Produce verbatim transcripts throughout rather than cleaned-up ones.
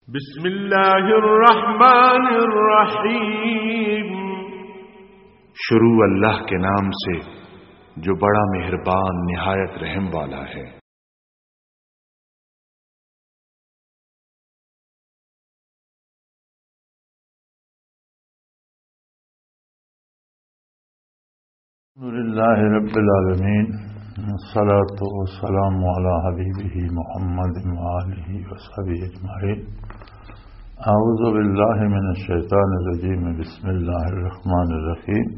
بسم اللہ الرحمن الرحیم۔ شروع اللہ کے نام سے جو بڑا مہربان نہایت رحم والا ہے۔ الحمد لله رب العالمين، والصلاة والسلام على حبيبه محمد وآله وصحبه أجمعين. أعوذ بالله من الشيطان الرجيم. بسم الله الرحمن الرحيم.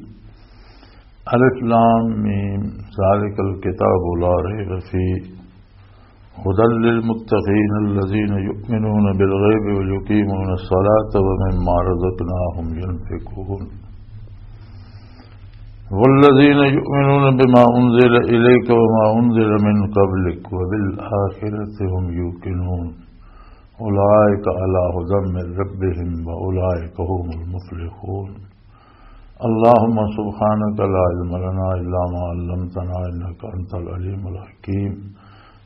الف لام ميم. ذلك الكتاب لا ريب فيه هدى للمتقين الذين يؤمنون بالغيب ويقيمون الصلاة ومما رزقناهم ينفقون. والذين يؤمنون بما أنزل إليك وما أنزل من قبلك وبالآخرة هم يوقنون. أولئك على هدى من ربهم وأولئك هم المفلحون. اللهم سبحانك لا علم لنا إلا ما علمتنا إنك أنت العليم الحكيم.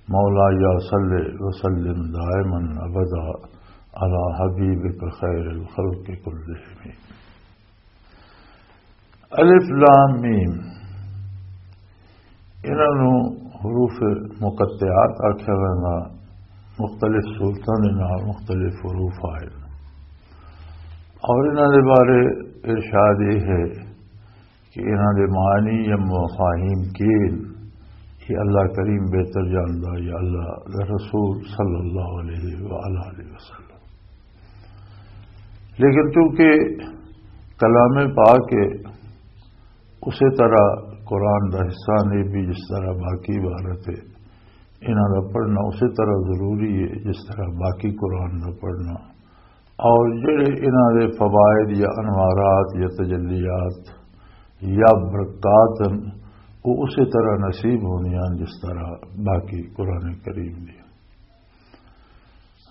مولاي صل وسلم دائما أبدا على حبيبك خير الخلق كلهم. الف لام میم، انہاں نوں حروف مقطعات آکھیا ویندا، مختلف صورتاں دے نال مختلف حروف آئے، اور انہاں دے بارے ارشاد یہ ہے کہ انہاں دے معنی یا مفاہیم کی ہن، یہ اللہ کریم بہتر جاندا یا اللہ دا رسول صلی اللہ علیہ وآلہ وسلم۔ لیکن چونکہ کلام پاک ہے، اسی طرح قرآن دا حصہ نہیں بھی، جس طرح باقی عبارت ہے، انہاں دا پڑھنا اسی طرح ضروری ہے جس طرح باقی قرآن دا پڑھنا۔ اور جڑے انہاں دے فوائد یا انوارات یا تجلیات یا برکات ہیں، وہ اسی طرح نصیب ہوندیاں ہیں جس طرح باقی قرآن کریم دی۔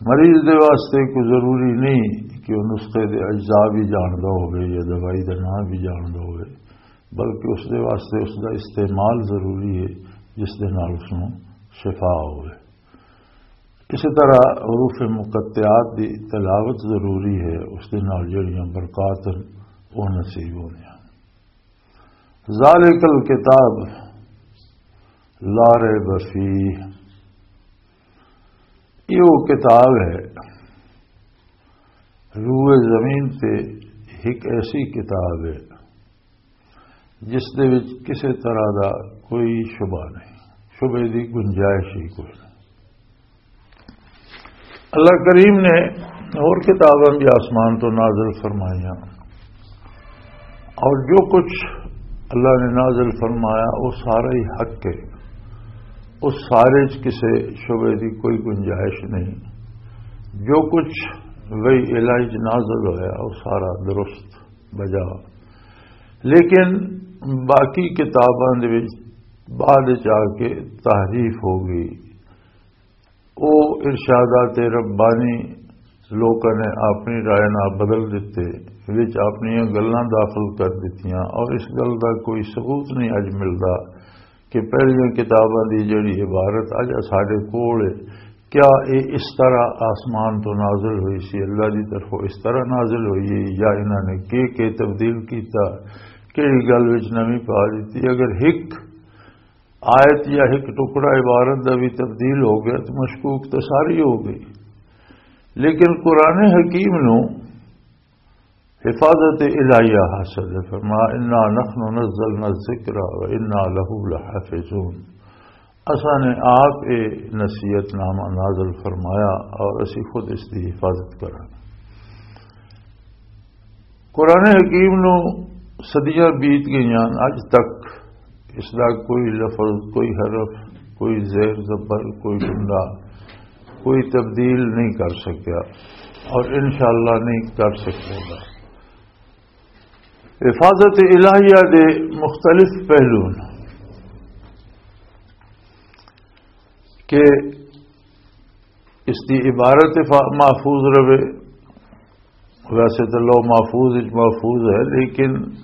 مریض دے واسطے کوئی ضروری نہیں کہ وہ نسخے دے اجزاء بھی جاندا ہوئے یا دوائی دا نام بھی جاندا ہوئے، بلکہ اس دے واسطے اس دا استعمال ضروری ہے، جس دے نال اس نوں شفا ہوئے۔ اسی طرح حروف مقطعات دی تلاوت ضروری ہے، اس دے نال جڑیاں برکات ہیں، وہ نصیب ہوندیاں۔ ذالک الکتاب لا ریب فیہ، یہ وہ کتاب ہے، روئے زمین تے ایک ایسی کتاب ہے جس دے وچ کسے طرح دا کوئی شبہ نہیں، شبے دی گنجائش ہی کوئی نہیں۔ اللہ کریم نے اور کتاباں بھی آسمان تو نازل فرمائیاں، اور جو کچھ اللہ نے نازل فرمایا، وہ سارا ہی حق ہے، اس سارے چ کسے شبے دی کوئی گنجائش نہیں۔ جو کچھ وہی الہی چ نازل ہویا، وہ سارا درست بجا۔ لیکن باقی کتاباں دے وچ بعد چ آ کے تحریف ہو گئی۔ او ارشادات ربانی لوکاں نے اپنی رائے نال بدل دتے، وچ اپنیاں گلاں داخل کر دتیاں، اور اس گل دا کوئی ثبوت نہیں اج ملدا کہ پہلیاں کتاباں دی جڑی عبارت اج ساڈے کول ہے، کیا اے اس طرح آسمان تو نازل ہوئی سی، اللہ دی طرفوں اس طرح نازل ہوئی ہے، یا انہاں نے کی کی تبدیل کیتا، کیڑی گل وچ نویں پا دتی؟ اگر ہک آیت یا ایک ٹکڑا عبارت دا بھی تبدیل ہو گیا تو مشکوک تو ساری ہو گئی۔ لیکن قرآن حکیم نو حفاظت الہیہ حاصل ہے۔ فرمایا، "انا نحن نزلنا الذکر و انا لہ لحافظون۔" اساں نے آپ اے نصیحت نامہ نازل فرمایا اور اسی خود اس دی حفاظت کراں۔ قرآن حکیم نو صدیاں بیت گئیاں، اج تک اس دا کوئی لفظ، کوئی حرف، کوئی زیر زبر، کوئی جملہ، کوئی تبدیل نہیں کر سکیا اور انشاءاللہ نہیں کر سکے گا۔ حفاظت الہیہ دے مختلف پہلو نے کہ اس دی عبارت فا-، محفوظ رہے۔ ویسے تو لوح محفوظ وچ محفوظ ہے، لیکن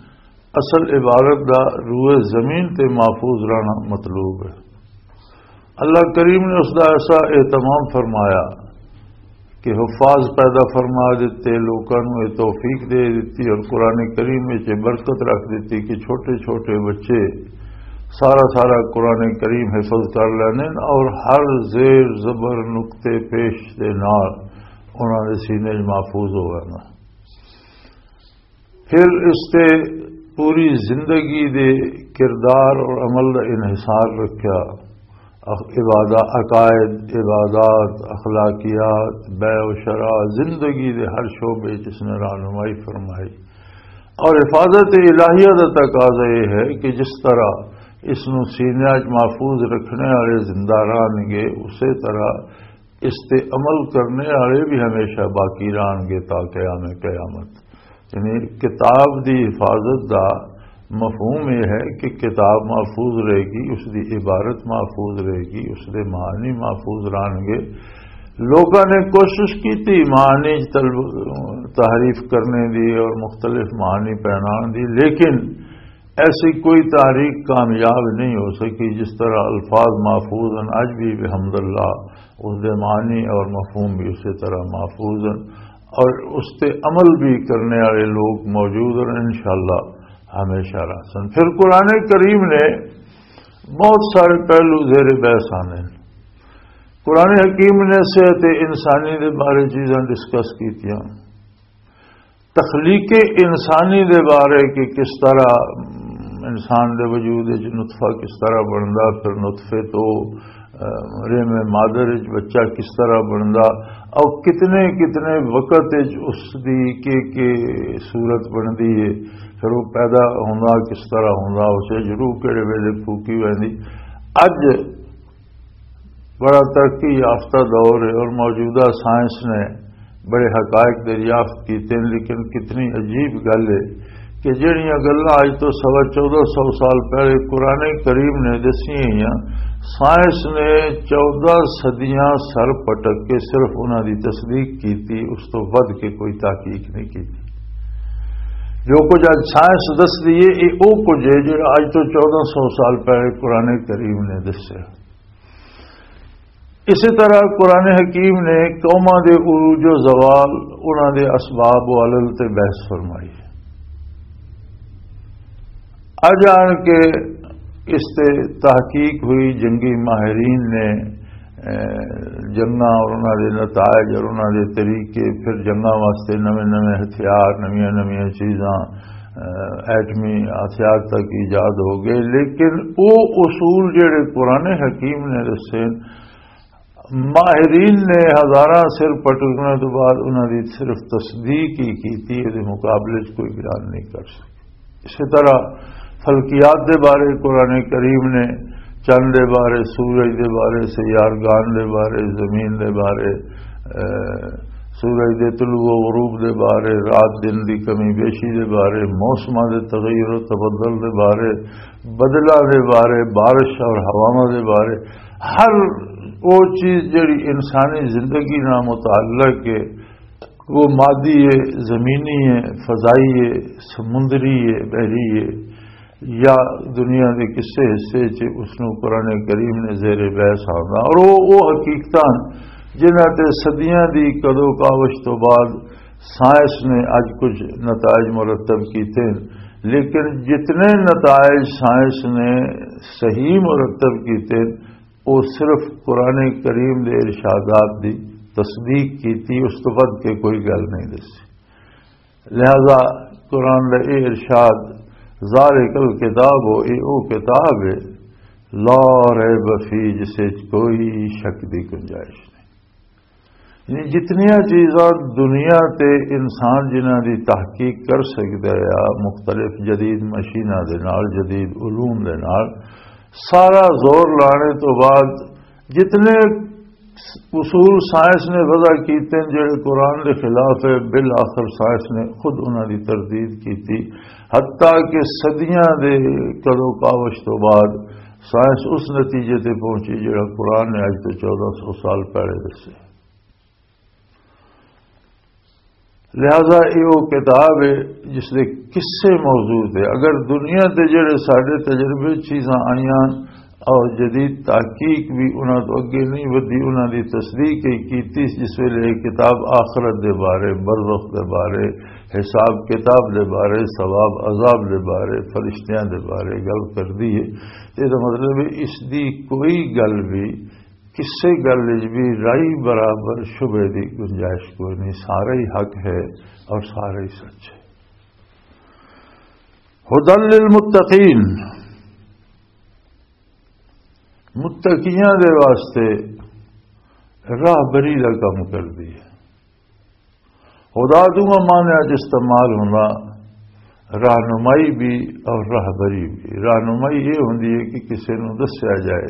اصل عبارت دا روئے زمین تے محفوظ رہنا مطلوب ہے۔ اللہ کریم نے اس دا ایسا اہتمام فرمایا کہ حفاظ پیدا فرما دیتے، لوکاں نوں یہ توفیق دے دیتی اور قرآن کریم وچ یہ برکت رکھ دیتی کہ چھوٹے چھوٹے بچے سارا سارا قرآن کریم حفظ کر لیندے نے اور ہر زیر زبر نقطے پیش دے نال انہاں دے سینے وچ محفوظ ہو گیا۔ پھر اس تے پوری زندگی دے کردار اور عمل دا انحصار رکھیا۔ اخ-، عبادہ، عقائد، عبادات، اخلاقیات، بیع و شرع، زندگی دے ہر شعبے وچ اس نے رہنمائی فرمائی۔ اور حفاظت الہیہ دا تقاضا یہ ہے کہ جس طرح اس نو سینیاں وچ محفوظ رکھنے والے زندہ رہن گے، اسی طرح اس تے عمل کرنے والے بھی ہمیشہ باقی رہن گے تا قیام قیامت۔ یعنی کتاب دی حفاظت دا مفہوم یہ ہے کہ کتاب محفوظ رہے گی، اس دی عبارت محفوظ رہے گی، اس دے معنی محفوظ رہن گے۔ لوگوں نے کوشش کی تھی معنی طلب، تحریف کرنے دی اور مختلف معنی پہنان دی، لیکن ایسی کوئی تحریک کامیاب نہیں ہو سکی جس طرح الفاظ محفوظ ہیں۔ اج بھی بحمد اللہ اس دے معنی اور مفہوم بھی اسی طرح محفوظ ہیں، اور اس تے عمل بھی کرنے والے لوگ موجود ہیں، انشاءاللہ ہمیشہ رہ سن۔ پھر قرآن کریم نے بہت سارے پہلو زیر بحث آنے ہیں۔ قرآن حکیم نے صحت انسانی دے بارے چیزاں ڈسکس کیتیاں، تخلیق انسانی دے بارے کہ کس طرح انسان دے وجود وچ نطفہ کس طرح بندا، پھر نطفے تو، اہ، رحم مادر وچ بچہ کس طرح بندا، اور کتنے کتنے وقت وچ اس دی کہ کہ صورت بندی ہے، پھر وہ پیدا ہوندا کس طرح ہوندا، اسے جروح کہڑے ویلے پھوکی ویندی۔ اج بڑا ترقی یافتہ دور ہے اور موجودہ سائنس نے بڑے حقائق دریافت کیتے ہیں، لیکن کتنی عجیب گل ہے کہ جہڑیاں گلاں اج تو سوا چودہ سو سال پہلے قرآن کریم نے دسیاں ہوئیاں، سائنس نے چودہ صدیاں سر پٹک کے صرف انہاں دی تصدیق کیتی، اس تو ود کے کوئی تحقیق نہیں کیتی۔ جو کچھ اج سائنس دس دی ہے، یہ وہ کچھ ہے جو اج تو چودہ سو سال پہلے قرآن کریم نے دسیا۔ اسی طرح قرآن حکیم نے قوماں دے عروج و زوال، انہاں دے اسباب و علل تے بحث فرمائی ہے۔ اج آن کے اس تے تحقیق ہوئی، جنگی ماہرین نے، اے، جنگاں اور انہاں دے نتائج اور انہاں دے طریقے، پھر جنگاں واسطے نویں نویں ہتھیار، نویاں نویاں چیزاں، اے، ایٹمی ہتھیار تک ایجاد ہو گئے، لیکن وہ اصول جڑے قرآن حکیم نے دسے، ماہرین نے ہزاراں سر پٹکنے تو بعد انہاں دی صرف تصدیق ہی کیتی، یہ مقابلے چ کوئی بیان نہیں کر سکے۔ اسی طرح فلکیات دے بارے قرآن کریم نے چند دے بارے، سورج دے بارے، سیارگان دے بارے، زمین دے بارے، اے، سورج دے طلوع و غروب دے بارے، رات دن دی کمی بیشی دے بارے، موسماں دے تغیر و تبدل دے بارے، بدلاں دے بارے، بارش اور ہواواں دے بارے، ہر وہ چیز جڑی انسانی زندگی نال متعلق ہے، وہ مادی ہے، زمینی ہے، فضائی ہے، سمندری ہے، بحری ہے، یا دنیا دے کسے حصے چ، اس نوں قرآن کریم نے زیر بحث آندا۔ اور وہ، وہ حقیقتاں جنہاں تے صدیاں دی کدو کاوش تو بعد سائنس نے اج کچھ نتائج مرتب کیتے ہیں، لیکن جتنے نتائج سائنس نے صحیح مرتب کیتے ہیں، وہ صرف قرآن کریم دے ارشادات دی تصدیق کیتی، اس تو ود کے کوئی گل نہیں دسی۔ لہذا قرآن دا اے ارشاد، "ذالک الکتاب"، اے او کتاب ہے، "لا ریب فیہ"، جس وچ کوئی شک دی گنجائش نہیں۔ یعنی جتنیاں چیزاں دنیا تے انسان جنہاں دی تحقیق کر سکدا ہے، مختلف جدید مشیناں دے نال، جدید علوم دے نال، سارا زور لانے تو بعد جتنے اصول سائنس نے وضع کیتے ہیں جڑے قرآن دے خلاف ہے، بالآخر سائنس نے خود انہاں دی تردید کیتی، حتیٰ کہ صدیاں دے کدو کاوش تو بعد سائنس اس نتیجے تے پہنچی جڑا قرآن نے اج تو چودہ سو سال پہلے دسے۔ لہذا یہ وہ کتاب ہے جس دے قصے موجود ہے۔ اگر دنیا تے جڑے ساڈے تجربے چیزاں آئیاں، اور جدید تحقیق بھی انہاں تو اگے نہیں ودی، انہاں دی تصدیق ہی کیتی جس ویلے یہ کتاب آخرت دے بارے، برزخ دے بارے، حساب کتاب دے بارے، ثواب عذاب دے بارے، فرشتیاں دے بارے گل کردی ہے۔ تے دا مطلب ہے اس دی کوئی گل بھی، کسے گل وچ بھی رائی برابر شبہے دی گنجائش کوئی نہیں، سارا ہی حق ہے اور سارا ہی سچ ہے۔ ہدی للمتقین، متقیاں دے واسطے راہبری دا کم کردی ہے۔ ہدا دونوں معنیاں چ استعمال ہوندا، رہنمائی بھی اور راہبری بھی۔ رہنمائی یہ ہوندی ہے کہ کسے نوں دسیا جائے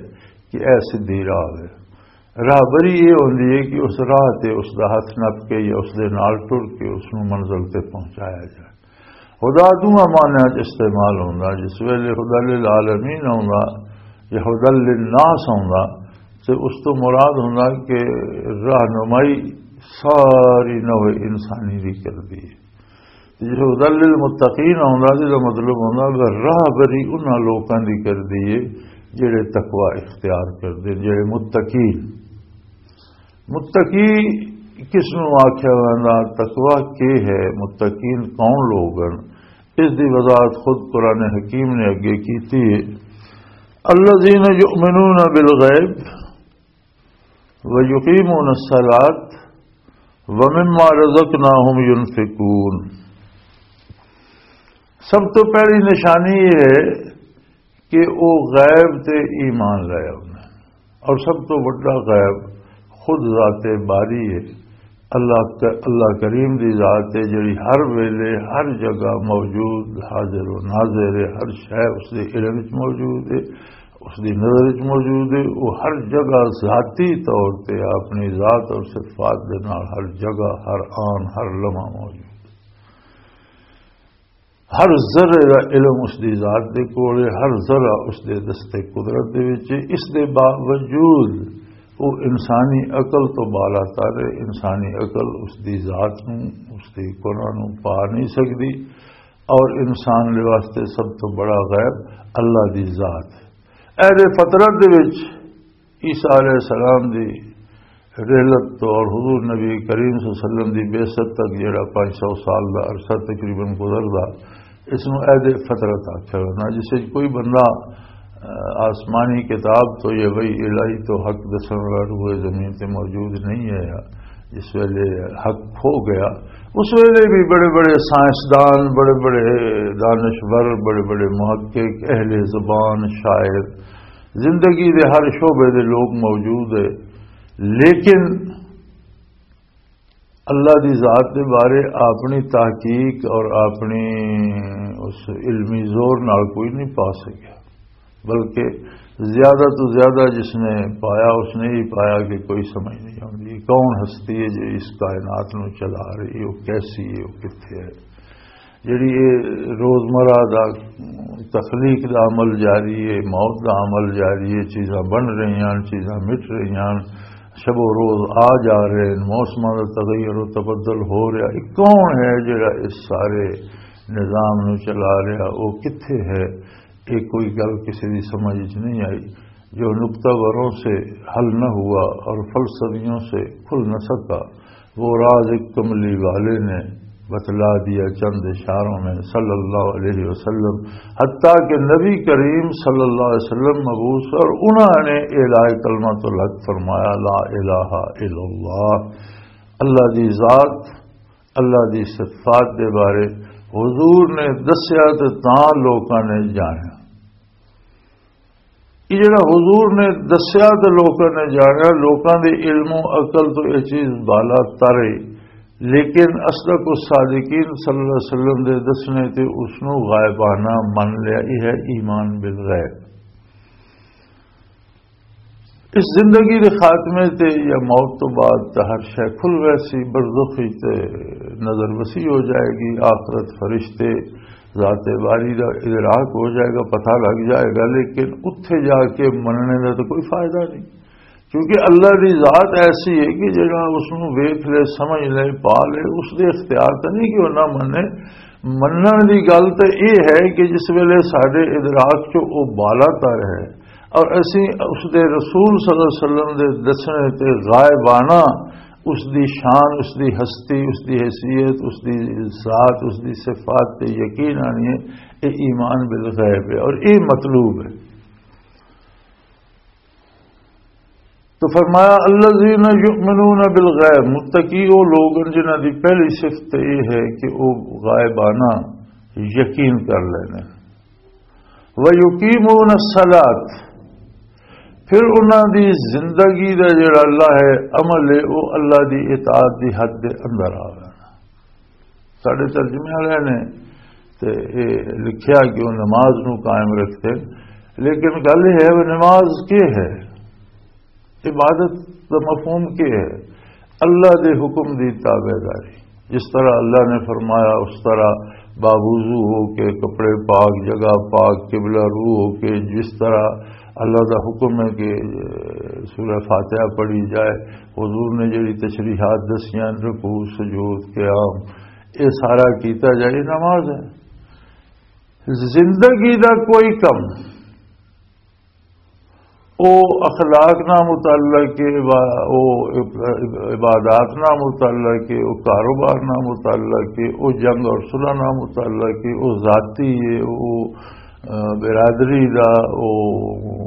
کہ اے سدھی راہ ہے۔ راہبری یہ ہوندی ہے کہ اس راہ تے اس دا ہاتھ نپ کے یا اس دے نال ٹر کے اس نوں منزل تے پہنچایا جائے۔ ہدا دونوں معنیاں چ استعمال ہوندا، جس ویلے ہدا للعالمین ہوندا یا ہدا للناس ہوندا، تے اس تو مراد ہوندا کہ رہنمائی ساری نوع انسانی دی کردی ہے۔ تے جس ہدا للمتقین ہوندا، جس دا مطلب ہوندا کہ راہبری انہاں لوکاں دی کردی ہے جڑے تقوی اختیار کردے، جڑے متقین۔ متقی کس نوں آکھیا ویندا؟ تقوی کی ہے؟ متقین کون لوگ ہیں؟ اس دی وضاحت خود قرآن حکیم نے اگے کیتی ہے، الذین یؤمنون بالغیب ویقیمون الصلاۃ ومما رزقناہم ینفقون۔ سب تو پہلی نشانی یہ ہے کہ وہ غیب تے ایمان لے آؤندے ہیں۔ اور سب تو بڑا غیب خود ذات باری ہے۔ اللہ ک-، اللہ کریم دی ذات ہے، جڑی ہر ویلے ہر جگہ موجود، حاضر و ناظر ہے، ہر شے اس دے علم وچ موجود ہے، اس دی نظر وچ موجود ہے۔ وہ ہر جگہ ذاتی طور تے اپنی ذات اور صفات دے نال ہر جگہ، ہر آن، ہر لمحہ موجود ہے۔ ہر ذرے دا علم اس دی ذات دے کول ہے، ہر ذرہ اس دے دستے قدرت دے وچ ہے۔ اس دے باوجود وہ انسانی عقل تو بالا تر ہے۔ انسانی عقل اس دی ذات نوں، اس دی کنہ نوں پا نہیں سکدی۔ اور انسان دے واسطے سب تو بڑا غیب اللہ دی ذات ہے۔ اہل فطرت دے وچ عیسیٰ علیہ السلام دی رحلت تو اور حضور نبی کریم صلی اللہ علیہ وسلم دی بعثت تک جڑا پانچ سو سال دا عرصہ تقریباً گزردا، اس نوں عہد فطرت آکھیا ویندا، جس وچ کوئی بندہ، آ، آسمانی کتاب تو یا وحی الہی تو حق دسن والا روئے زمین تے موجود نہیں ہے، جس ویلے حق کھو گیا، اس ویلے بھی بڑے بڑے سائنسدان، بڑے بڑے دانشور، بڑے بڑے محقق، اہل زبان، شاعر، زندگی دے ہر شعبے دے لوگ موجود ہے، لیکن اللہ دی ذات دے بارے اپنی تحقیق اور اپنی اس علمی زور نال کوئی نہیں پا سکیا، بلکہ زیادہ تو زیادہ جس نے پایا، اس نے ہی پایا کہ کوئی سمجھ نہیں آتی کون ہستی ہے جو اس کائنات نو چلا رہی ہے، وہ کیسی ہے، وہ کتھے ہے۔ جڑی یہ روزمرہ دا تخلیق دا عمل جاری ہے، موت دا عمل جاری ہے، چیزاں بن رہی ہیں، چیزاں مٹ رہی ہیں، شب و روز آ جا رہے ہیں، موسماں دا تغیر و تبدل ہو رہا، یہ کون ہے جڑا اس سارے نظام نو چلا رہا؟ وہ کتھے ہے؟ یہ کوئی گل کسی دی سمجھ وچ نہیں آئی۔ جو نقطہ وروں سے حل نہ ہوا اور فلسفیوں سے کھل نہ سکا، وہ راز ایک کملی والے نے بتلا دیا چند اشاروں میں، صلی اللہ علیہ وسلم۔ حتیٰ کہ نبی کریم صلی اللہ علیہ وسلم مبعوث اور انہوں نے اعلاء کلمۃ الحق فرمایا، لا الہ الا اللہ۔ اللہ دی ذات، اللہ دی صفات دے بارے حضور نے دسیا تے تاں لوکاں نے جانیا۔ یہ جڑا حضور نے دسیا تے لوکاں نے جانیا، لوکاں دے علم و عقل تو یہ چیز بالا تر ہے، لیکن اصدق الصادقین صلی اللہ علیہ وسلم دے دسنے تے اس نو غائبانہ من لیا۔ یہ ہے ایمان بالغیب۔ اس زندگی دے خاتمے تے یا موت تو بعد تے ہر شے کھل ویسی، برزخ وچ تے نظر وسیع ہو جائے گی، آخرت، فرشتے، ذات باری دا ادراک ہو جائے گا، پتہ لگ جائے گا، لیکن اتھے جا کے مننے دا تو کوئی فائدہ نہیں، کیونکہ اللہ دی ذات ایسی ہے کہ جڑا اس نوں ویکھ لے، سمجھ لے، پا لے، اس دے اختیار تے نہیں کہ وہ نہ منے۔ منن دی گل تے یہ ہے کہ جس ویلے ساڈے ادراک چ وہ بالا تر ہے، اور اسی اس دے رسول صلی اللہ علیہ وسلم دے دسنے تے غائبانہ اس دی شان، اس دی ہستی، اس دی حیثیت، اس دی ذات، اس دی صفات تے یقین آنی ہے، یہ ایمان بالغیب ہے اور یہ مطلوب ہے۔ تو فرمایا، "الذین یؤمنون بالغیب"، متقی وہ لوگ ہیں جنہاں دی پہلی صفت یہ ہے کہ وہ غائبانہ یقین کر لینے۔ "وَيُقِيمُونَ الصَّلَاةَ"، پھر انہاں دی زندگی دا جڑا اللہ ہے، عمل ہے، وہ اللہ دی اطاعت دی حد دے اندر آ گیا۔ ساڈے ترجمے والے نے تے اے لکھیا کہ وہ نماز نو قائم رکھتے، لیکن گل یہ ہے، وہ نماز کی ہے؟ عبادت دا مفہوم کی ہے؟ اللہ دے حکم دی تابع داری۔ جس طرح اللہ نے فرمایا، اس طرح باوضو ہو کے، کپڑے پاک، جگہ پاک، قبلہ رو ہو کے، جس طرح اللہ دا حکم ہے کہ سورہ فاتحہ پڑھی جائے، حضور نے جڑی تشریحات دسیاں، رکوع، سجود، قیام، یہ سارا کیتا جائے، یہ نماز ہے۔ زندگی دا کوئی کم، او اخلاق نہ متعلق ہے، عبا-، او عب-، عبادات نہ متعلق ہے، او کاروبار نہ متعلق ہے، او جنگ اور صلح نہ متعلق ہے، او ذاتی ہے، او، آ، برادری دا، او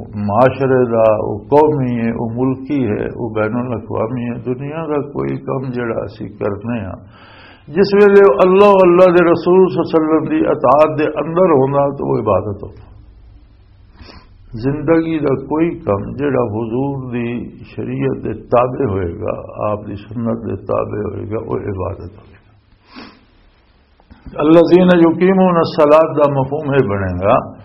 معاشرے دا، او قومی ہے، او ملکی ہے، او بین الاقوامی ہے۔ دنیا دا کوئی کم جڑا اسی کرنے ہاں، جس ویلے اللہ، اللہ دے رسول صلی اللہ علیہ وسلم دی اطاعت دے اندر ہوندا تو وہ عبادت ہوندا۔ زندگی دا کوئی کم جڑا حضور دی شریعت دے تابع ہوئے گا، آپ دی سنت دے تابع ہوئے گا، وہ عبادت ہوئے گا۔ الذین یقیمون الصلاۃ دا مفہوم یہ بنے گا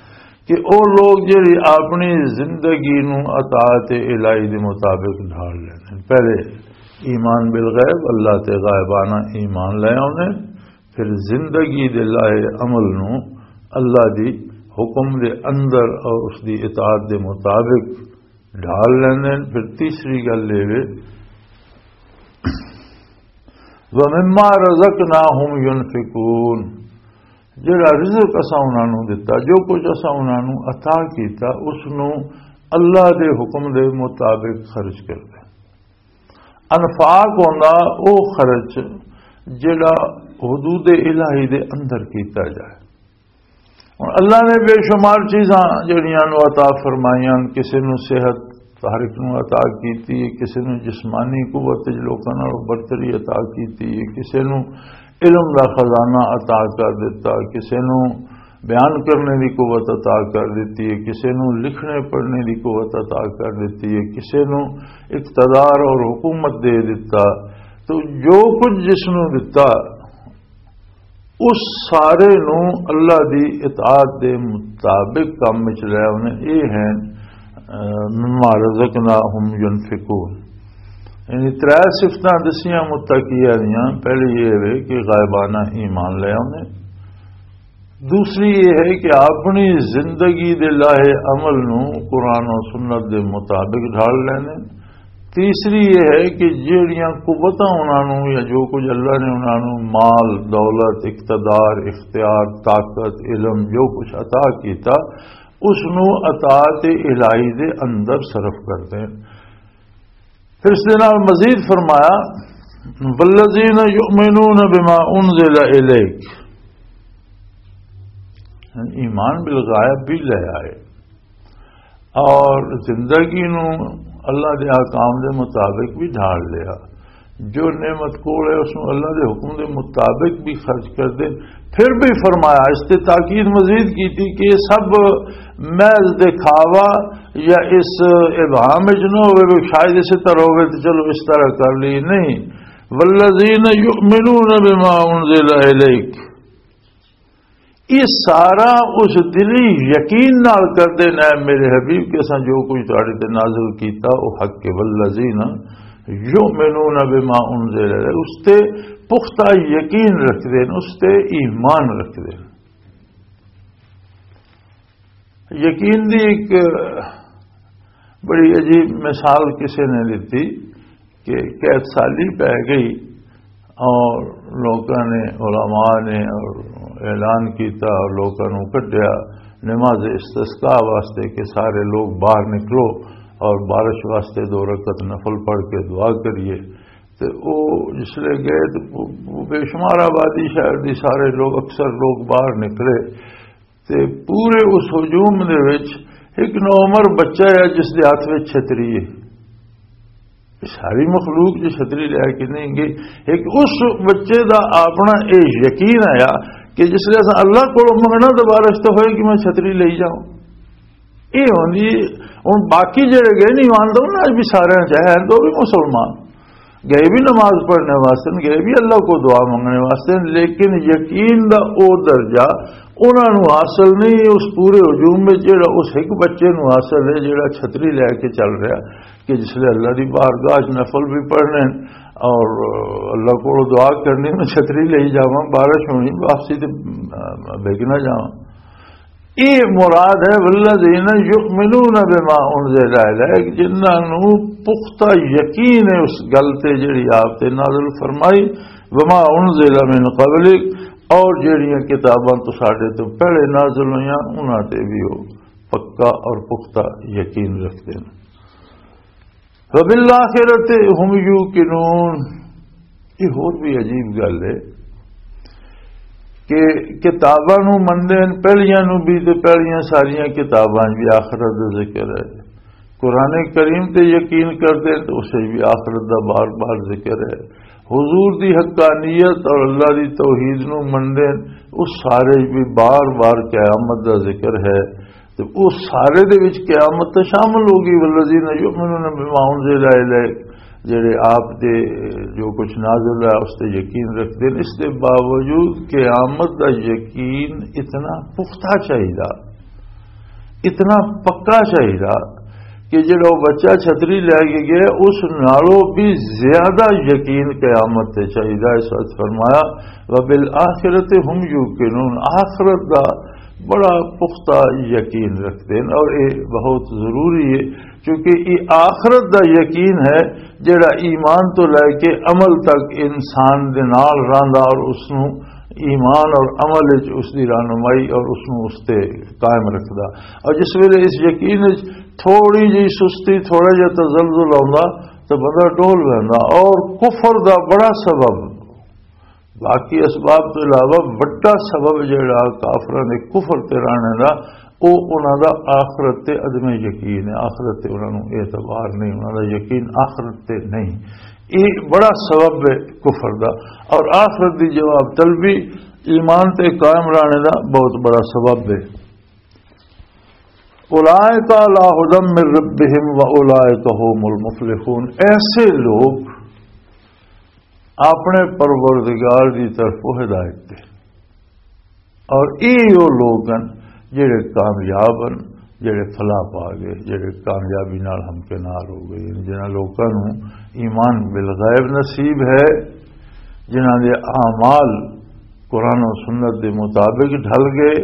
کہ او لوگ جڑی اپنی زندگی نو اطاعت الہی دے مطابق ڈھال لیندے۔ پہلے ایمان بالغیب، اللہ تے غائبانہ ایمان لے آوندے، پھر زندگی دے لائے عمل نو اللہ دی حکم دے اندر اور اس دی اطاعت دے مطابق ڈھال لیندے۔ پھر تیسری گل یہ وے، وَمِمَّا رَزَقْنَاهُمْ يُنْفِقُونَ، جڑا رزق اساں انہاں نوں دتا، جو کچھ اساں انہاں نوں عطا کیتا، اس نوں اللہ دے حکم دے مطابق خرچ کردے۔ انفاق ہوندا او خرچ جڑا حدود الہی دے اندر کیتا جائے۔ ہن اللہ نے بے شمار چیزاں جڑیاں نوں عطا فرمائیاں، کسے نوں صحت ہر ایک نوں عطا کیتی ہے، کسے نوں جسمانی قوت وچ لوکاں نال برتری عطا کیتی ہے، کسے نوں علم دا خزانہ عطا کر دتا، کسے نوں بیان کرنے دی قوت عطا کر دتی ہے، کسے نوں لکھنے پڑھنے دی قوت عطا کر دتی ہے، کسے نوں اقتدار اور حکومت دے دتا۔ تو جو کچھ جس نوں دتا، اس سارے نوں اللہ دی اطاعت دے مطابق کم وچ لے آونے۔ اے ہیں، اے، مما رزقناہم ینفقون۔ یعنی ترے صفتاں دسیاں متقیاں دیاں۔ پہلی یہ ہے کہ غائبانہ ایمان لے آونے۔ دوسری یہ ہے کہ اپنی زندگی دے لاہے عمل نوں قرآن و سنت دے مطابق ڈھال لینے۔ تیسری یہ ہے کہ جیڑیاں قوتاں انہاں نوں یا جو کچھ اللہ نے انہاں نوں مال، دولت، اقتدار، اختیار، طاقت، علم، جو کچھ عطا کیتا، اس نوں اطاعت الہی دے اندر صرف کر دیں۔ پھر اس دے نال مزید فرمایا، "والذین یؤمنون بما انزل الیک"، یعنی ایمان بالغیب بھی لے آئے اور زندگی نو اللہ دے احکام دے مطابق بھی ڈھال لیا۔ جو نعمت کول ہے، اس نو اللہ دے حکم دے مطابق بھی خرچ کر دے۔ پھر بھی فرمایا، اس تے تاکید مزید کی تھی کہ یہ سب محض دکھاوا یا اس ابہام وچ نہ ہوئے، وہ شاید اسی طرح ہوئے تو چلو اس طرح کر لی، نہیں۔ "والذین یؤمنون بما انزل الیک"، یہ سارا اس دلی یقین نال کردے نے، میرے حبیب، کہ اساں جو کچھ تہاڈے تے نازل کیتا، وہ حق ہے۔ "والذین یؤمنون بما انزل الیک"، اس تے پختہ یقین رکھدے نے، اس تے ایمان رکھدے نے۔ یقین دی ایک بڑی عجیب مثال کسی نے دتی کہ قحط سالی پی گئی اور لوکاں نے، علماء نے اور اعلان کیتا اور لوکاں نوں کڈیا، نماز استسقاء واسطے کہ سارے لوگ باہر نکلو اور بارش واسطے دو رکعت نفل پڑھ کے دعا کریے۔ تے او جس لے گئے تے وہ، وہ بے شمار آبادی شہر دی، سارے لوگ، اکثر لوگ باہر نکلے۔ تے پورے اس ہجوم دے وچ ایک نوعمر بچہ ہے جس دے ہاتھ وچ چھتری ہے۔ ساری مخلوق جو چھتری لے کے نہیں گئی، ایک اس بچے دا اپنا یہ یقین آیا کہ جس لے اساں اللہ کو منگنا تو بارش تو ہوئے کہ میں چھتری لے جاؤں۔ یہ ہوندی ہے۔ ہن باقی جڑے گئے نہیں ایمان دے، انہاں وچ بھی سارے چاہے ہیں تو بھی مسلمان گئے بھی نماز پڑھنے واسطے، گئے بھی اللہ کو دعا منگنے واسطے، لیکن یقین دا او درجہ انہاں نوں حاصل نہیں اس پورے ہجوم وچ جڑا اس ایک بچے نوں حاصل ہے جڑا چھتری لے کے چل رہا، کہ جس لے اللہ دی بارگاہ وچ نفل بھی پڑھنے اور اللہ کو دعا کرنی، میں چھتری لے جاواں، بارش ہونی، واپسی تے بھیگ نہ جاواں۔ یہ مراد ہے، والذین یؤمنون بما انزل الیک، جنہاں نوں پختہ یقین ہے اس گل تے جڑی آپ تے نازل فرمائی، وما انزل من قبلک، اور جڑیاں کتاباں تو ساڈے تو پہلے نازل ہویاں، انہاں تے بھی وہ پکا اور پختہ یقین رکھتے ہیں۔ وبالآخرۃ هم یوقنون۔ یہ ہور بھی عجیب گل ہے کہ کتاباں نو مندے ہیں، پہلیاں نو بھی، تے پہلیاں ساریاں کتاباں بھی آخرت دا ذکر ہے۔ قرآن کریم تے یقین کردے ہیں تے اسے بھی آخرت دا بار بار ذکر ہے۔ حضور دی حقانیت اور اللہ دی توحید نو مندے ہیں، اس سارے بھی بار بار قیامت دا ذکر ہے۔ تے او سارے دے وچ قیامت تے شامل ہو گئی، والذین یؤمنون بما انزل الیک، جڑے آپ دے جو کچھ نازل ہے اس تے یقین رکھتے ہیں۔ اس دے باوجود قیامت دا یقین اتنا پختہ چاہیدا، اتنا پکا چاہیدا کہ جڑا وہ بچہ چھتری لے کے گیا، اس نالوں بھی زیادہ یقین قیامت تے چاہیدا۔ اس وقت فرمایا، وبالآخرۃ هم یوقنون، آخرت دا بڑا پختہ یقین رکھتے ہیں، اور یہ بہت ضروری ہے، کیونکہ یہ آخرت دا یقین ہے جڑا ایمان تو لے کے عمل تک انسان دے نال رہندا اور اس نو ایمان اور عمل وچ اس دی رہنمائی اور اس نو اس تے قائم رکھدا۔ اور جس ویلے اس یقین وچ تھوڑی جی سستی، تھوڑا جہا تزلزل آوندا تو بندہ ڈول ویندا۔ اور کفر دا بڑا سبب، باقی اسباب تو علاوہ وڈا سبب جڑا کافراں دے کفر تے رہنے دا، او انہاں دا آخرت تے عدم یقین ہے، آخرت تے انہاں نوں اعتبار نہیں، انہاں دا یقین آخرت تے نہیں۔ یہ بڑا سبب ہے کفر دا، اور آخرت دی جواب طلبی ایمان تے قائم رہنے دا بہت بڑا سبب ہے۔ اولئک علی ھدی من ربہم و اولئک ھم المفلحون، ایسے لوگ اپنے پروردگار دی طرفوں ہدایت تے۔ اور ایہو لوگ ہن جڑے کامیاب ہن، جڑے فلاح پا گئے، جڑے کامیابی نال ہمکنار ہو گئے، جنہاں لوکاں نوں ایمان بالغیب نصیب ہے، جنہاں دے اعمال قرآن و سنت دے مطابق ڈھل گئے،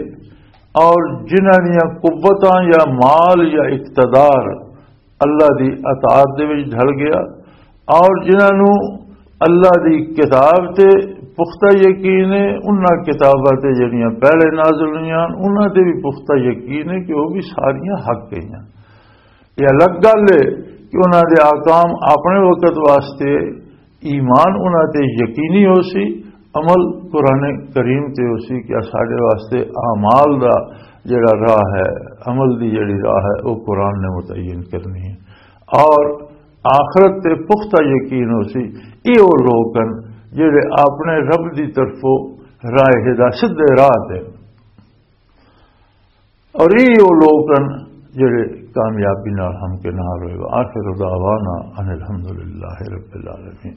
اور جنہاں دیاں قوتاں یا مال یا اقتدار اللہ دی اطاعت دے وچ ڈھل گیا، اور جنہاں نوں اللہ دی کتاب تے پختہ یقین ہے، انہاں کتاباں تے جڑیاں پہلے نازل ہوئیاں، انہاں تے بھی پختہ یقین ہے کہ وہ بھی ساریاں حق گئیاں۔ یہ الگ گل ہے کہ انہاں دے احکام اپنے وقت واسطے ایمان انہاں تے یقینی ہو سی، عمل قرآن کریم تے ہو سی کہ ساڈے واسطے اعمال دا جڑا راہ ہے، عمل دی جڑی راہ ہے، وہ قرآن نے متعین کرنی ہے۔ اور آخرت تے پختہ یقین ہو سی۔ یہ وہ لوگ ہیں جڑے اپنے رب دی طرفوں راہ ہدا، سدھے راہ تے، اور یہ وہ لوگ ہیں جڑے کامیابی نال ہمکنار ہوئے۔ وآخر دعوانا ان الحمدللہ رب العالمین۔